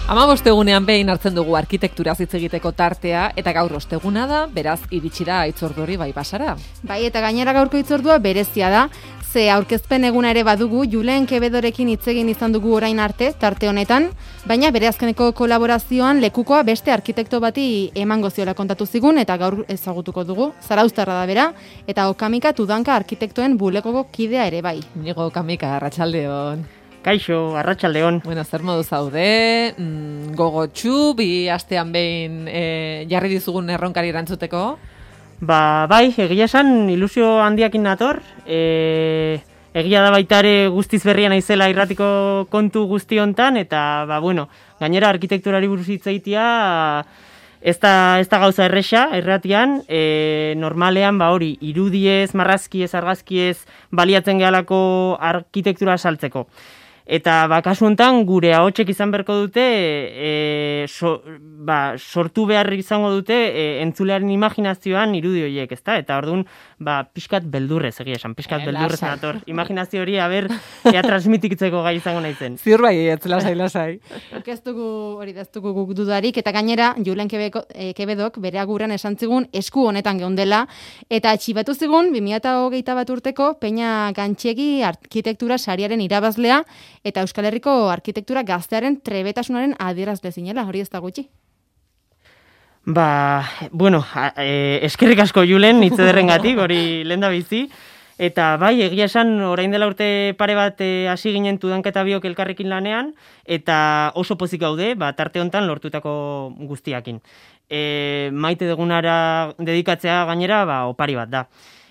15 behin hartzen dugu arkitekturaz hitz egiteko tartea, eta gaur osteguna da, beraz iritsi da hitzordu hori bai basara. Bai, eta gainera gaurko hitzordua berezia da, ze aurkezpen eguna ere badugu, Julen Quevedorekin hitz egin izan dugu orain arte, tarte honetan, baina bere azkeneko kolaborazioan lekukoa beste arkitekto bati emango ziola kontatu zigun, eta gaur ezagutuko dugu, Zarauztarra da bera, eta Okamika Tudanka arkitektoen bulegoko kidea ere bai. Inigo Okamika, arratsaldeon. Kaixo, arratsaldeon. Bueno, zer modu zaude, gogotsu, bi astean behin jarri dizugun erronkari erantzuteko? Bai, egia esan ilusio handiakin nator, egia da baita ere guztiz berria naizela irratiko kontu guzti hontan, eta gainera arkitekturari buruz hitz egitea ez da gauza erresa irratian, normalean hori irudiez, marrazkiez, argazkiez baliatzen gehalako arkitektura saltzeko. Eta kasu honetan gure ahotsek izan beharko dute, sortu behar izango dute entzulearen imaginazioan irudi horiek, ezta? Eta orduan, pixkat beldurrez, egia esan, pixkat beldurrez nator. Imaginazio hori, ea transmititzeko gai izango naizen. Ziur bai, lasai. Ez dugu guk dudarik, eta gainera, Julen Quevedok bere aguran esan zigun esku honetan geundela, eta atxibatu zigun 2021 urteko Peña Gantxegi arkitektura sariaren irabazlea, eta Euskal Herriko arkitektura gaztearen trebetasunaren adierazle zinela, hori ez da gutxi. Eskerrik asko Julen, hitz ederrengatik, hori lenda bizi. Eta bai, egia esan, orain dela urte pare bat hasi ginen Tudanka eta biok elkarrekin lanean, eta oso pozik gaude, tarte hontan lortutako guztiakin. Maite dugunara dedikatzea gainera, opari bat da.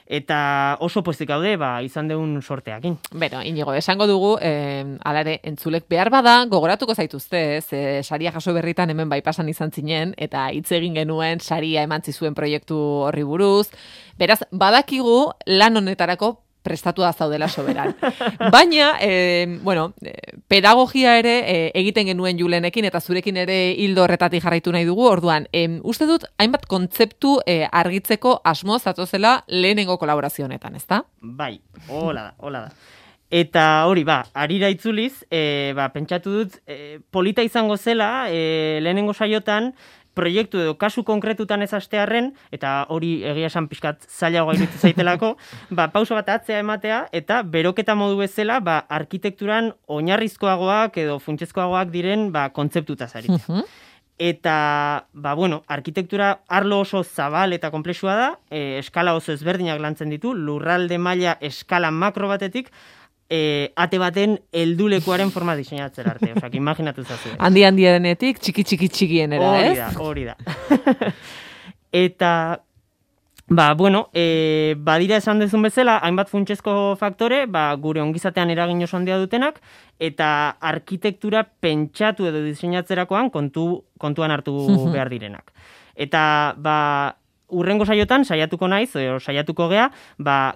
Eta oso pozik gaude, izan deun sorteakin. Beno, Inigo, esango dugu, alare, entzulek behar bada, gogoratuko zaituzte, saria jaso berritan hemen bai pasan izan zinen, eta hitz egin genuen saria eman zizuen proiektu horri buruz. Beraz, badakigu lan honetarako prestatua zaudela soberan. Baina, pedagogia ere egiten genuen Julenekin, eta zurekin ere hildo horretatik jarraitu nahi dugu, orduan, uste dut, hainbat kontzeptu argitzeko asmo zatozela lehenengo kolaborazio honetan, ezta? Bai, hola da. Eta hori, harira itzuliz, pentsatu dut, polita izango zela, lehenengo saiotan, proiektu edo kasu konkretutan ez hastearren, eta hori egia esan pixkat zailagoa iruditu zaitelako, pauso bat atzea ematea, eta beroketa modu bezala, arkitekturan oinarrizkoagoak edo funtsezkoagoak diren kontzeptutaz aritzea. Eta, arkitektura arlo oso zabal eta konplexua da, eskala oso ezberdinak lantzen ditu, lurralde maila eskala makro batetik, ate baten heldulekuaren forma diseinatzera arte, osak, imaginatu zazu. Handienetik, txikienera, ez? Hori da. Eta, badira esan dezun bezala, hainbat funtsezko faktore, gure ongizatean eragin oso handia dutenak, eta arkitektura pentsatu edo diseinatzerakoan kontuan hartu behar direnak. Eta, urrengo saiotan, saiatuko naiz, saiatuko gea,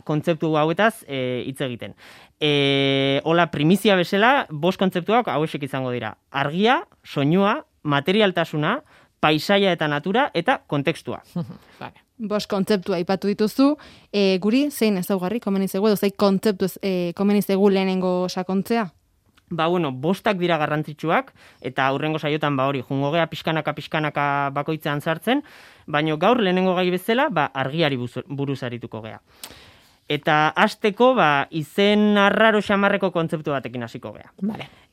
kontzeptu hauetaz hitz egiten. Hola, primizia bezala, 5 kontzeptuak hauexek izango dira. Argia, soinua, materialtasuna, paisaia eta natura, eta kontekstua. 5 kontzeptua aipatu dituzu, guri zein ezaugarri komeni zaigu, edo zein kontzeptu komeni zaigu lehenengo sakontzea? 5 dira garrantzitsuak, eta hurrengo saiotan hori, jungo gea pixkanaka bakoitzean sartzen, baina gaur lehenengo gai bezala, argiari buruz arituko gea. Eta hasteko izen arraro xamarreko kontzeptu batekin hasiko gea.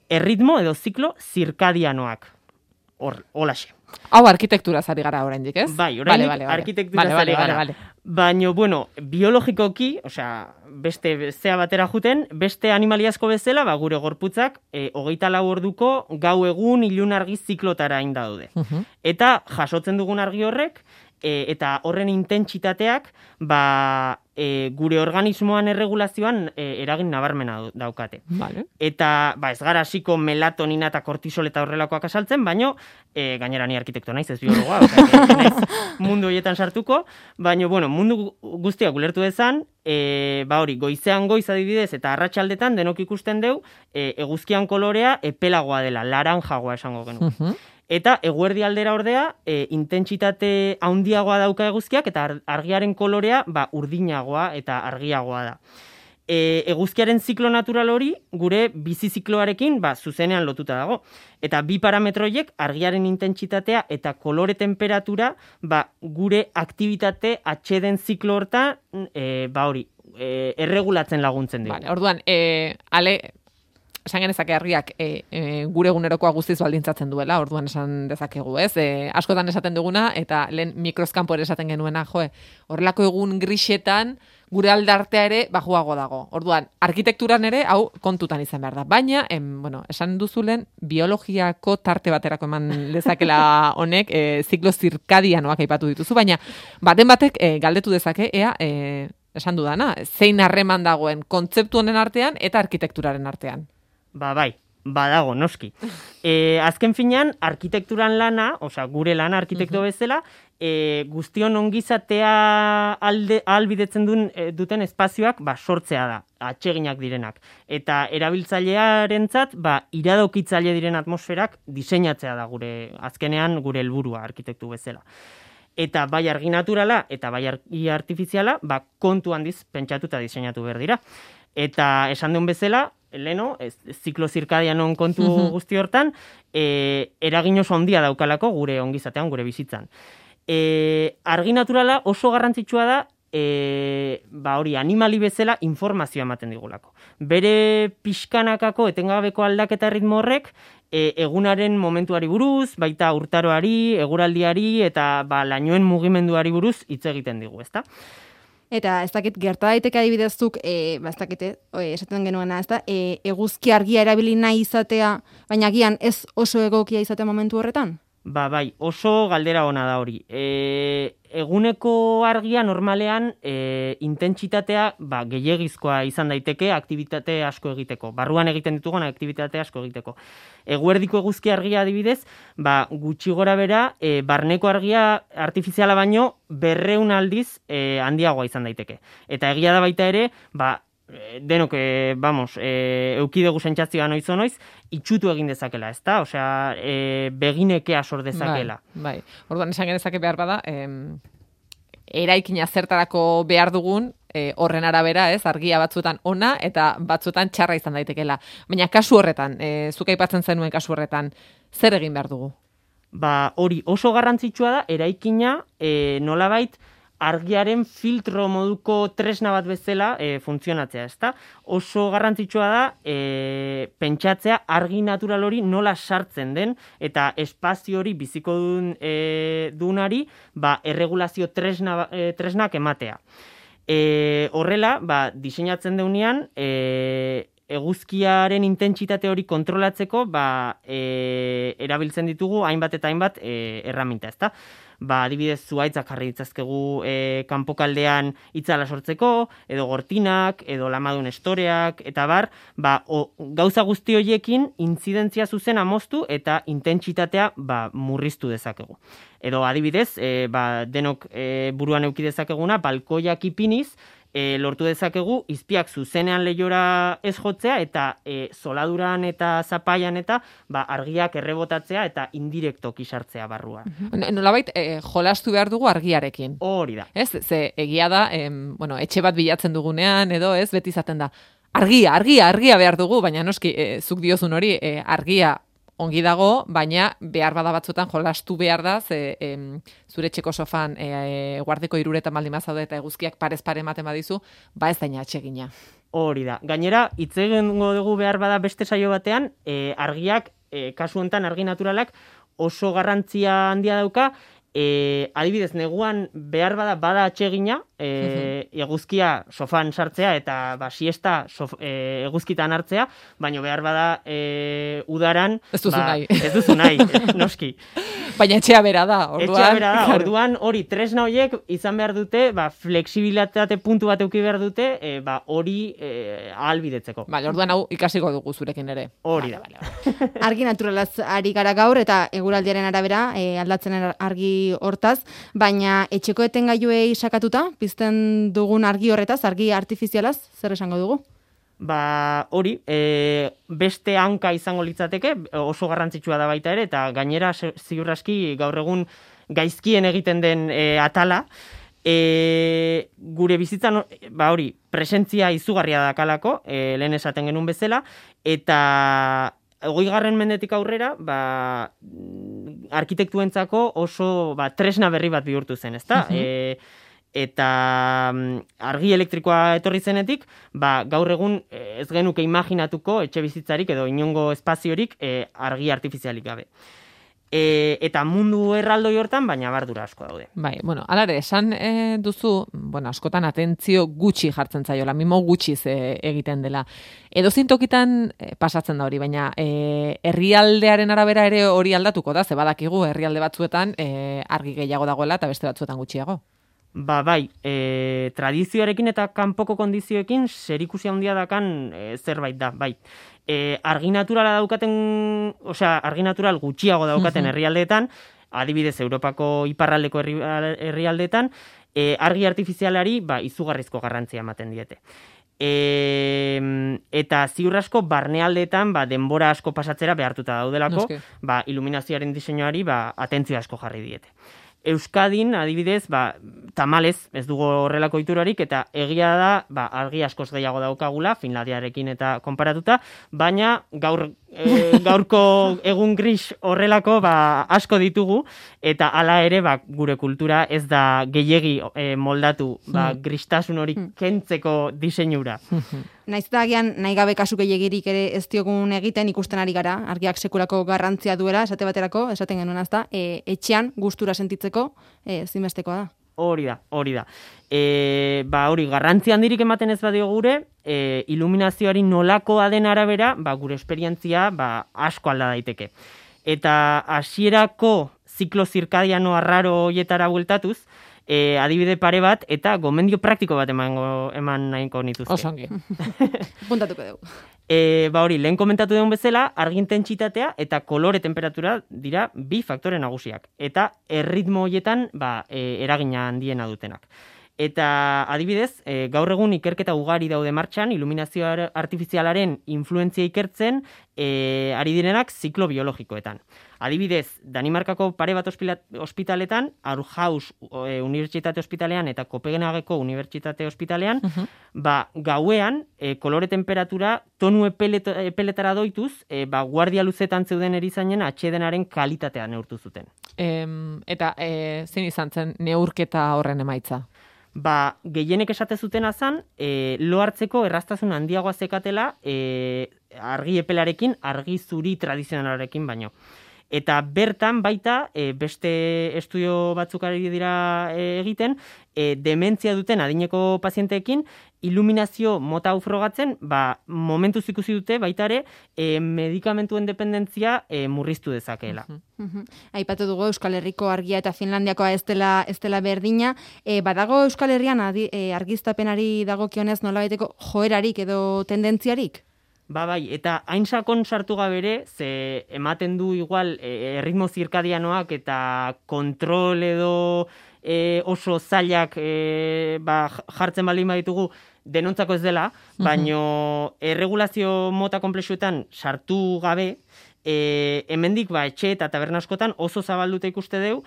Erritmo edo ziklo zirkadianoak. Holaxe. Hau arkitektura zari gara oraindik, ez? Bai, oraindik arkitektura zari gara. Baina, biologikoki, beste zea batera juten, beste animaliazko bezala, gure gorputzak 24 orduko gau egun ilun argi ziklotara inda daude. Eta jasotzen dugun argi horrek, eta horren intentsitateak, gure organismoan erregulazioan eragin nabarmena daukate. Eta, ez gara hasiko melatonina eta kortisol eta horrelakoak asaltzen, baino, gainera ni arkitekto naiz, ez biologoa, naiz mundu horietan sartuko, baino, mundu guztiak ulertu dezan, hori, goizean goiz adibidez, eta arratsaldetan denok ikusten deu, eguzkian kolorea epelagoa dela, laranjagoa esango genu. Eta eguerdi aldera ordea, intentsitate handiagoa dauka eguzkiak, eta argiaren kolorea urdinagoa eta argiagoa da. eguzkiaren ziklo natural hori gure bizi zikloarekin zuzenean lotuta dago. Eta bi parametroiek argiaren intentsitatea eta kolore temperatura gure aktibitate atxeden ziklo horta erregulatzen laguntzen dugu. Vale, orduan, esan genezake argiak gure egunerokoa guztiz baldintzatzen duela, orduan esan dezakegu, ez? Askotan esaten duguna, eta lehen mikroskampo ere esaten genuena, horrelako egun grisetan gure aldartea ere bajuago dago. Orduan, arkitekturan ere, hau kontutan izan behar da. Baina, esan duzulen, biologiako tarte baterako eman lezakela honek, ziklo zirkadianoak aipatu dituzu, baina baten batek galdetu dezake, esan dudana, zein harreman dagoen kontzeptu honen artean eta arkitekturaren artean. Bai, badago, noski. Azken finean, arkitekturan lana, gure lana arkitekto bezala, guztion ongizatea ahalbidetzen duten espazioak sortzea da, atseginak direnak. Eta erabiltzailearentzat iradokitzaile diren atmosferak diseinatzea da azkenean gure helburua arkitektu bezala. Eta bai argi naturala eta bai argi artifiziala kontu handiz pentsatuta diseinatu behar dira. Eta esan duen bezala, leno, ziklo zirkadianon kontu guzti hortan, eragin oso handia daukalako gure ongizatean, gure bizitzan. Argi naturala oso garrantzitsua da, animali bezala informazioa ematen digulako. Bere pixkanakako etengabeko aldaketa ritmo horrek, egunaren momentuari buruz, baita urtaroari, eguraldiari eta lainoen mugimenduari buruz hitz egiten digu, ezta? Eta ez dakit gerta daiteke adibidezuk, ez dakite, esaten genuena, ez da, eguzki argia erabili nahi izatea, baina agian ez oso egokia izatea momentu horretan? Bai, oso galdera ona da hori. Eguneko argia normalean intentsitatea gehiegizkoa izan daiteke aktibitate asko egiteko. Barruan egiten ditugun aktibitate asko egiteko. Eguerdiko eguzki argia adibidez, gutxi gora bera, barneko argia artifiziala baino 200 aldiz handiagoa izan daiteke. Eta egia da baita ere, denok, eukidegu sentsazioa noiz, itxutu egin dezakela, ezta? Osea, beginekea sor dezakela. Bai. Orduan esan genezake behar bada, eraikina zertarako behar dugun, horren arabera, ez, argia batzuetan ona eta batzuetan txarra izan daitekela. Baina kasu horretan, zuk aipatzen zenuen kasu horretan, zer egin behar dugu? Hori oso garrantzitsua da, eraikina nolabait argiaren filtro moduko tresna bat bezala funtzionatzea, ezta? Oso garrantzitsua da pentsatzea argi natural hori nola sartzen den eta espazio hori biziko dunari erregulazio tresnak ematea. Horrela, diseinatzen deunean, eguzkiaren intentsitate hori kontrolatzeko erabiltzen ditugu hainbat eta hainbat erraminta, ezta? Adibidez, zuhaitzak jarri ditzazkegu kanpokaldean itzala sortzeko, edo gortinak, edo lamadun estoreak, eta gauza guzti horiekin intzidentzia zuzena moztu eta intentsitatea murriztu dezakegu. Edo adibidez, denok buruan eduki dezakeguna, balkoiak ipiniz, lortu dezakegu izpiak zuzenean lehiora ez jotzea eta zoladuran eta zapaian eta argiak errebotatzea eta indirektoki sartzea barruan. Nolabait, jolastu behar dugu argiarekin. Hori da. Ez, ze egia da, etxe bat bilatzen dugunean edo ez, beti izaten da. Argia behar dugu, baina noski, zuk diozun hori, argia ongi dago, baina behar bada batzuetan jolastu behar da, zure etxeko sofan guardiko 3 baldin bazaude eta eguzkiak parez pare ematen badizu, ez daina atsegina. Hori da. Gainera, hitz egingo dugu behar bada beste saio batean, argiak, kasu honetan argi naturalak, oso garrantzia handia dauka, adibidez, neguan behar bada atsegina, eguzkia sofan sartzea eta siesta eguzkitan hartzea, baina behar bada udaran ez duzu nahi, noski. Baina etxea bera da, orduan hori tresna horiek izan behar dute, flexibilitate puntu bat eduki behar dute, hori ahalbidetzeko. Orduan hau ikasiko dugu zurekin ere. Hori da. Argi naturalaz ari gara gaur eta eguraldiaren arabera aldatzen argi hortaz, baina etxeko etengailuei sakatuta, pizten dugun argi horretaz, argi artifizialaz, zer esango dugu? Hori, beste hanka izango litzateke, oso garrantzitsua da baita ere, eta gainera ziur aski gaur egun gaizkien egiten den atala, gure bizitzan, hori, presentzia izugarria dakalako, lehen esaten genuen bezala, eta 20. mendetik aurrera, arkitektuentzako oso tresna berri bat bihurtu zen, ezta? Eta argi elektrikoa etorri zenetik, gaur egun ez genuke imaginatuko etxe bizitzarik edo inongo espaziorik argi artifizialik gabe. Eta mundu erraldoi hortan, baina bardura asko daude. Bai, alare, esan duzu, askotan atentzio gutxi jartzen zaiola, mimo gutxiz egiten dela. Edozein tokitan pasatzen da hori, baina herrialdearen arabera ere hori aldatuko da, ze badakigu herrialde batzuetan argi gehiago dagoela eta beste batzuetan gutxiago. Bai, tradizioarekin eta kanpoko kondizioekin zerikusi handia dakan zerbait da, bai. Argi naturala daukaten, argi natural gutxiago daukaten herrialdeetan, adibidez Europako iparraldeko herrialdeetan, argi artifizialari izugarrizko garrantzia ematen diete. Eta ziur asko barnealdeetan denbora asko pasatzera behartuta daudelako, iluminazioaren diseinuari atentzio asko jarri diete. Euskadin, adibidez, tamalez, ez dugu horrelako iturarik, eta egia da, argi askoz gehiago daukagula, Finlandiarekin eta konparatuta, baina gaurko egun gris horrelako asko ditugu, eta hala ere gure kultura ez da gehiegi moldatu gristasun hori kentzeko diseinura. Naiz eta agian nahi gabe kasu gehiegirik ere ez diogun egiten ikusten ari gara, argiak sekulako garrantzia duela, esate baterako, esaten genuen azta, etxean gustura sentitzeko zinbestekoa da. Hori da. Hori, garrantzi handirik ematen ez badio gure, iluminazioari nolakoa den arabera, gure esperientzia asko alda daiteke. Eta hasierako ziklo zirkadiano arraro hoietara bueltatuz, adibide pare bat eta gomendio praktiko bat eman nahiko nituzke. Osongi. Puntatuko dugu. Hori, lehen komentatu dugun bezala, argi intentsitatea eta kolore temperatura dira bi faktore nagusiak. Eta erritmo hoietan eragina handiena dutenak. Eta adibidez, gaur egun ikerketa ugari daude martxan, iluminazio artifizialaren influentzia ikertzen ari direnak ziklo biologikoetan. Adibidez, Danimarkako pare bat ospitaletan, Aarhus Unibertsitate Ospitalean eta Kopenhageko Unibertsitate Ospitalean, gauean kolore temperatura tonu epeletara doituz, guardia luzetan zeuden erizainen atsedenaren kalitatea neurtu zuten. Eta zein izan zen neurketa horren emaitza? Gehienek esate zutena zan, lo hartzeko erraztasun handiagoa zekatela argi epelarekin, argi zuri tradizionalarekin baino. Eta bertan baita, beste estudio batzuk ari dira egiten, dementzia duten adineko pazienteekin, iluminazio mota hau frogatzen, momentuz ikusi dute baita ere, medikamentuen dependentzia murriztu dezakeela. Aipatu dugu Euskal Herriko argia eta Finlandiakoa ez dela berdina. Badago Euskal Herrian argiztapenari dagokionez nolabaiteko joerarik edo tendentziarik? Bai, eta hain sakon sartu gabe ere, ze ematen du igual erritmo zirkadianoak eta kontrol edo oso zailak jartzen baldin baditugu denontzako ez dela, baino erregulazio mota konplexuetan sartu gabe, hemendik etxe eta taberna askotan oso zabalduta ikuste deu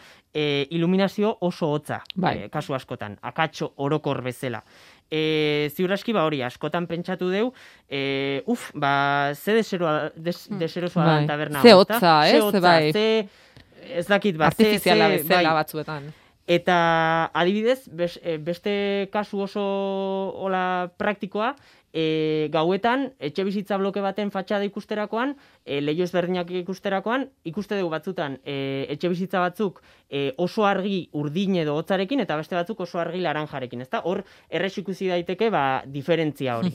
iluminazio oso hotza, kasu askotan, akatxo orokor bezala. Ziur aski hori, askotan pentsatu deu, ze deserosoa da taberna. Ze hotza, ez dakit, artifiziala bezala batzuetan. Eta adibidez, beste kasu oso praktikoa, gauetan, etxe bizitza bloke baten fatxada ikusterakoan, leiho ezberdinak ikusterakoan, ikuste dugu batzutan etxe bizitza batzuk oso argi urdin edo hotzarekin, eta beste batzuk oso argi laranjarekin, ezta? Hor, errez ikusi daiteke, diferentzia hori.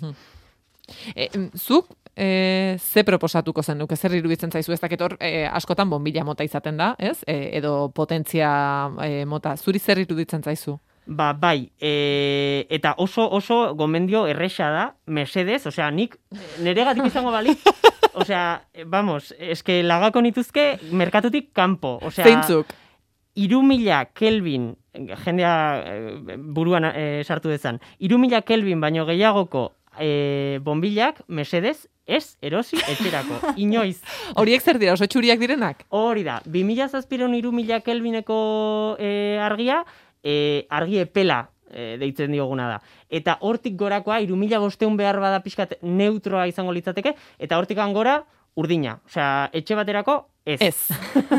Zuk, ze proposatuko zen nuke, zer iruditzen zaizu, ez dakit hor, askotan bombilla mota izaten da, ez? Edo potentzia mota, zuri zer iruditzen zaizu? Bai, eta oso gomendio erresa da, mesedez, nik neregatik izango balik, eske lagako nituzke merkatutik kanpo, zeintzuk? 3000 Kelvin, jendea buruan sartu dezan, 3000 Kelvin baino gehiagoko bombillak, mesedez, ez erosi etxerako, inoiz. Horiek zer dira, oso txuriak direnak? Hori da, 2000 3000 Kelvineko argia, argi epela deitzen dioguna da. Eta hortik gorakoa, 3.500 behar bada pixkat neutroa izango litzateke, eta hortik gora, urdina. Osea, etxe baterako, ez.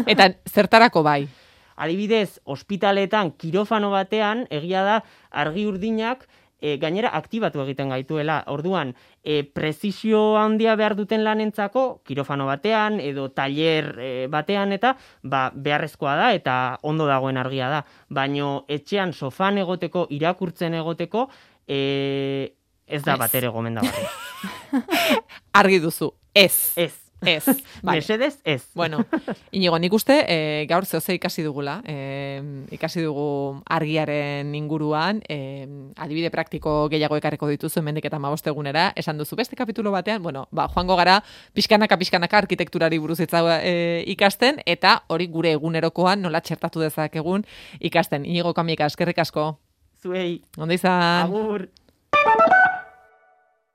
Eta zertarako bai? Adibidez, ospitaletan, kirofano batean, egia da, argi urdinak, gainera aktibatu egiten gaituela. Orduan, prezisio handia behar duten lanentzako, kirofano batean, edo tailer batean, eta beharrezkoa da, eta ondo dagoen argia da. Baino etxean sofan egoteko, irakurtzen egoteko, ez da batere gomendagarria. Argi duzu, ez. Ez. Vale. Mesedez, ez. Bueno, Inigo, nik uste gaur zehose ikasi dugula. Ikasi dugu argiaren inguruan, adibide praktiko gehiago ekarreko dituzu hemendik eta 15 egunera. Esan duzu beste kapitulo batean, joango gara pixkanaka arkitekturari buruz ikasten, eta hori gure egunerokoan nola txertatu dezakegun ikasten. Inigo Kamika, eskerrik asko. Zuei. Ondo izan. Agur.